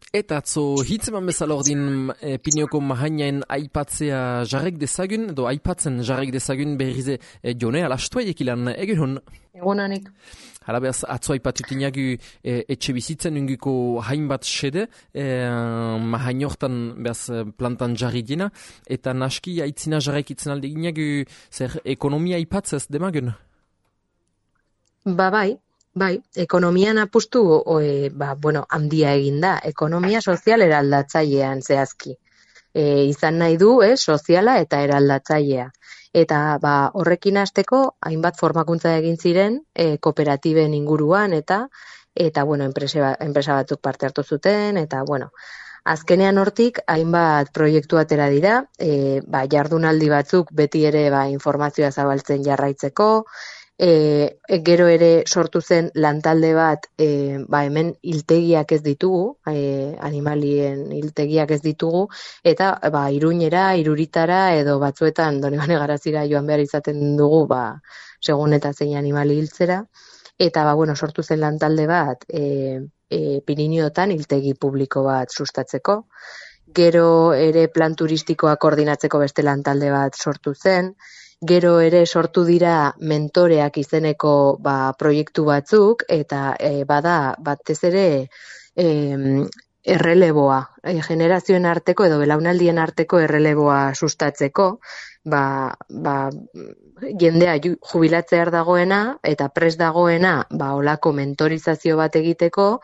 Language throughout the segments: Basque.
Eta atzo hitzeman bezala ordin Pinioko mahainaen aipatzea jarrek dezagun, edo aipatzen jarrek dezagun berrize jone alastuaiek ilan egun. Egunanik. Hala behaz, atzo aipatutinagu etxe bizitzen unguko hainbat sede, mahainortan behaz plantan jarri dina, eta naski aitzina jarrek itzen alde ginagu zer ekonomia aipatzez demagun? Bai, ekonomian apustu handia egin da. Ekonomia sozial eraldatzailean zehazki. Izan nahi du, soziala eta eraldatzailea. Eta horrekin hasteko hainbat formakuntza egin ziren kooperatiben inguruan eta enpresa batzuk parte hartu zuten eta azkenean hortik hainbat proiektu atera dira, jardunaldi batzuk beti ere informazioa zabaltzen jarraitzeko. Gero ere sortu zen lantalde bat, hemen hiltegiak ez ditugu, animalien hiltegiak ez ditugu, eta Iruñera, Iruritara edo batzuetan Donibane Garazira joan behar izaten dugu, segun eta zein animali hiltzera, eta sortu zen lantalde bat, Pirinioetan hiltegi publiko bat sustatzeko. Gero ere plan turistikoa koordinatzeko beste lantalde bat sortu zen. Gero ere sortu dira mentoreak izeneko proiektu batzuk eta bada batez ere erreleboa, generazioen arteko edo belaunaldien arteko erreleboa sustatzeko, jendea jubilatzear dagoena eta prest dagoena olako mentorizazio bat egiteko,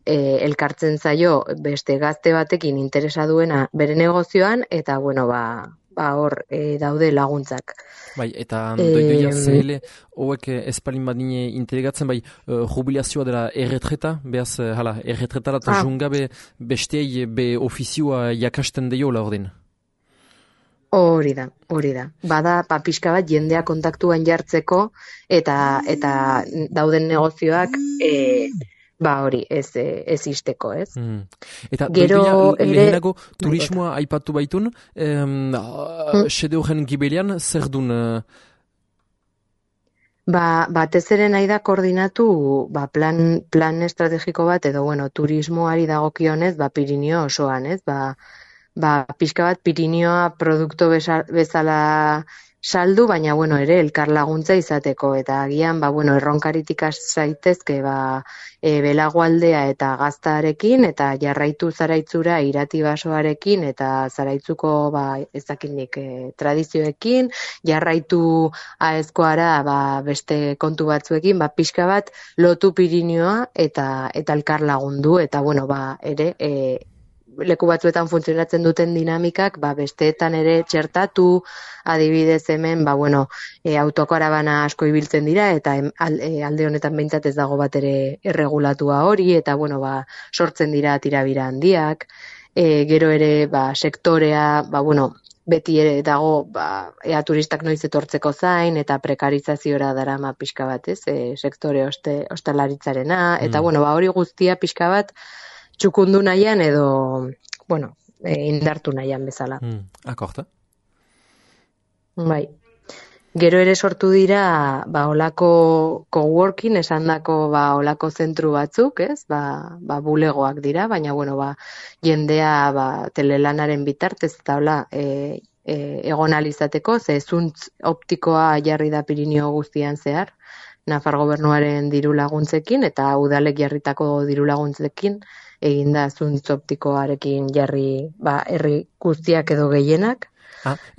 elkartzen zaio beste gazte batekin interesa duena bere negozioan eta hor daude laguntzak. Bai, eta doidoia zehele, hoek espalin badine integratzen, jubilazioa dela erretreta, behaz, erretretara eta jungabe besteei be ofizioa jakasten deiola ordin. Hori da. Bada pixka bat jendea kontaktuan jartzeko eta dauden negozioak ez isteko, ez? Eta gero lehenago turismoa aipatu baitun, sede horren gibelian zer dun? Batez ere nahi da koordinatu plan estrategiko bat edo turismoari dagokionez Pirinio osoan, ez? Pixka bat Pirinioa produktu bezala saldu, baina ere elkar laguntza izateko eta agian erronkaritik zaitezke Belagoaldea eta Gaztarekin eta jarraitu Zaraitzura Irati-Basoarekin eta Zaraitzuko ezakinik tradizioekin, jarraitu Aezkoara beste kontu batzuekin, pixka bat lotu Pirinioa eta elkar lagundu eta ere leku batzuetan funtzionatzen duten dinamikak, besteetan ere txertatu, adibidez hemen, autokarabana asko ibiltzen dira, eta alde honetan behintzat ez dago bat ere erregulatua hori, eta sortzen dira tirabira handiak, gero ere sektorea, beti ere dago, ea turistak noiz etortzeko zain, eta prekarizaziora darama pixka bat, sektore ostalaritzarena, eta hori guztia pixka bat, txukundu nahian edo, indartu nahian bezala. Akorta. Bai. Gero ere sortu dira, olako coworking, esandako olako zentru batzuk, ez? Bulegoak dira, baina, jendea, telelanaren bitartez, eta egon alizateko, ze zuntz optikoa jarri da Pirinio guztian zehar, Nafar gobernuaren diru laguntzekin, eta udalek jarritako diru laguntzekin, eginda zuntz optikoarekin jarri herri guztiak edo gehienak.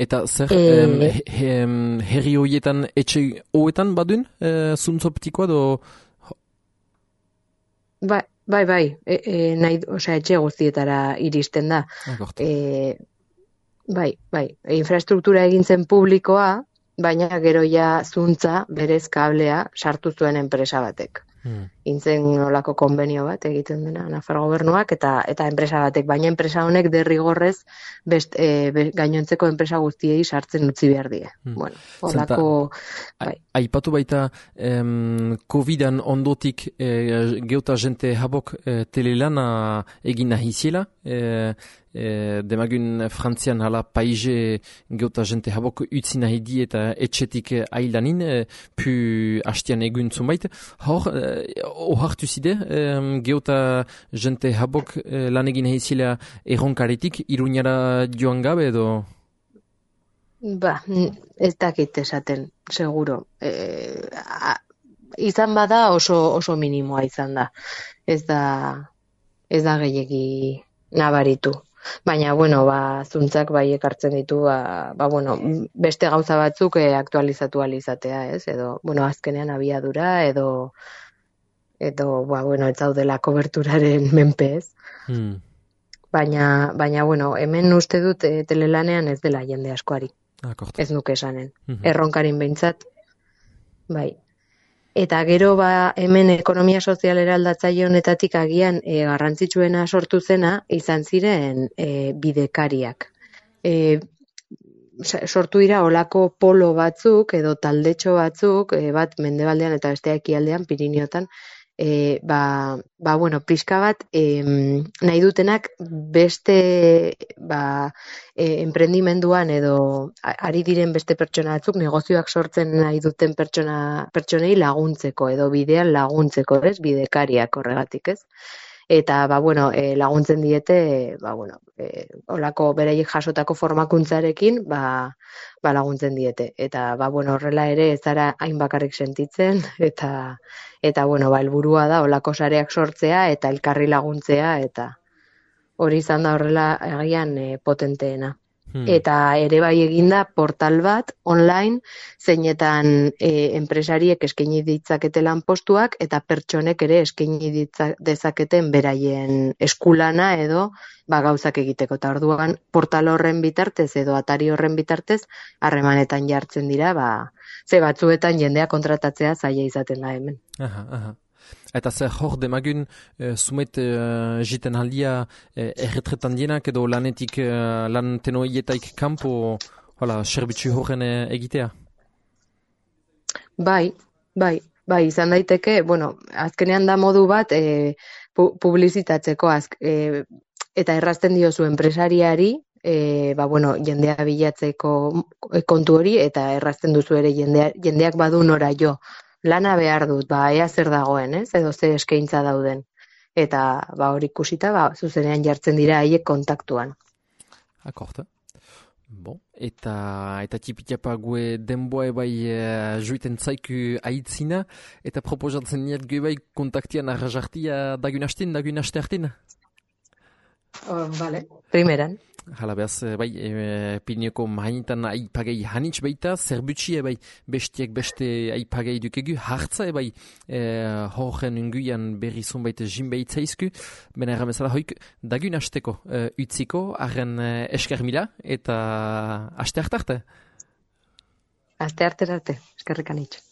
Eta zer herri horietan, etxe horietan badun zuntz optikoa edo? Bai, etxe guztietara iristen da. Bai, infrastruktura egin zen publikoa, baina gero zuntza berez kablea sartu zuen enpresa batek. Intzen olako konbenio bat egiten dena Nafar gobernuak eta enpresa batek, baina enpresa honek derrigorrez gainontzeko enpresa guztiei sartzen utzi behar die. Olako... Aipatu baita COVID-an ondotik geuta jente habok telelana egin nahi ziela, demagun Frantzian hala paize geuta jente habok utzi nahi di eta etxetik ailanin, pu hastian egun zunbait. Hor, ohartu zide, geota jente habok lan egin heizila erronkaretik, Iruñara joan gabe edo? Ba, ez dakit esaten, seguro. Izan bada oso minimoa izan da. Ez da gehiegi nabaritu. Baina, bueno, zuntzak bai ekartzen ditu, bueno, beste gauza batzuk aktualizatu alizatea, ez? Edo, bueno, azkenean abiadura, edo bueno, ez zaudela koberturaren menpe, ez? Baina, bueno, hemen uste dut telelanean ez dela jende askoari. Ez nuke esanen. Erronkarin behintzat, bai. Eta gero hemen ekonomia sozialera aldatzaile honetatik agian garrantzitsuena sortu zena izan ziren bidekariak. Sortu dira olako polo batzuk edo taldetxo batzuk, bat mendebaldean eta bestea ekialdean, Piriniotan, bueno, pixka bat nahi dutenak beste emprendimenduan edo ari diren beste pertsona batzuk negozioak sortzen nahi duten pertsonei laguntzeko edo bidean laguntzeko, ez? Bidekariak horregatik, ez? Eta, bueno, laguntzen diete, bueno, olako beraiek jasotako formakuntzarekin, laguntzen diete. Eta, bueno, horrela ere ez zara hain bakarrik sentitzen, eta bueno, helburua da olako sareak sortzea eta elkarri laguntzea, eta hori izan da horrela agian potenteena. Eta ere bai eginda portal bat online zeinetan enpresariek eskaini ditzakete lanpostuak eta pertsonek ere eskaini dezaketen beraien eskulana edo gauzak egiteko. Eta orduan portal horren bitartez edo atari horren bitartez harremanetan jartzen dira, ze batzuetan jendea kontratatzea zaila izaten da hemen. Eta zer hor demagun zumet jiten aldia erretretan dienak edo lanetik lan tenoietaik kanpo serbitzu horren egitea? Bai, izan daiteke, bueno, azkenean da modu bat publizitatzeko eta errazten diozu enpresariari, bueno, jendea bilatzeko kontu hori eta errazten duzu ere jendeak badu nora jo. Lana behar dut, ea zer dagoen, ez? Edo ze eskaintza dauden. Eta hori ikusita, zuzenean jartzen dira haiek kontaktuan. Akorta. Bon, eta txipitapa gue denboa bai juiten zaiku aitzina, eta proposatzen niat gue bai kontaktian arrajartia dagun aste hartin? Vale, primeran. Hala behaz, bai, Pirineoko mahainetan aipagei hanitz baita, zerbutxi bai, bestiek beste aipagei dukegu, hartza bai, horren unguian berri zonbait jin behitzaizku, bena erramezala hoik, dagun hasteko utziko, arren esker mila, eta aste hartarte? Aste arte, eskerrik anitz.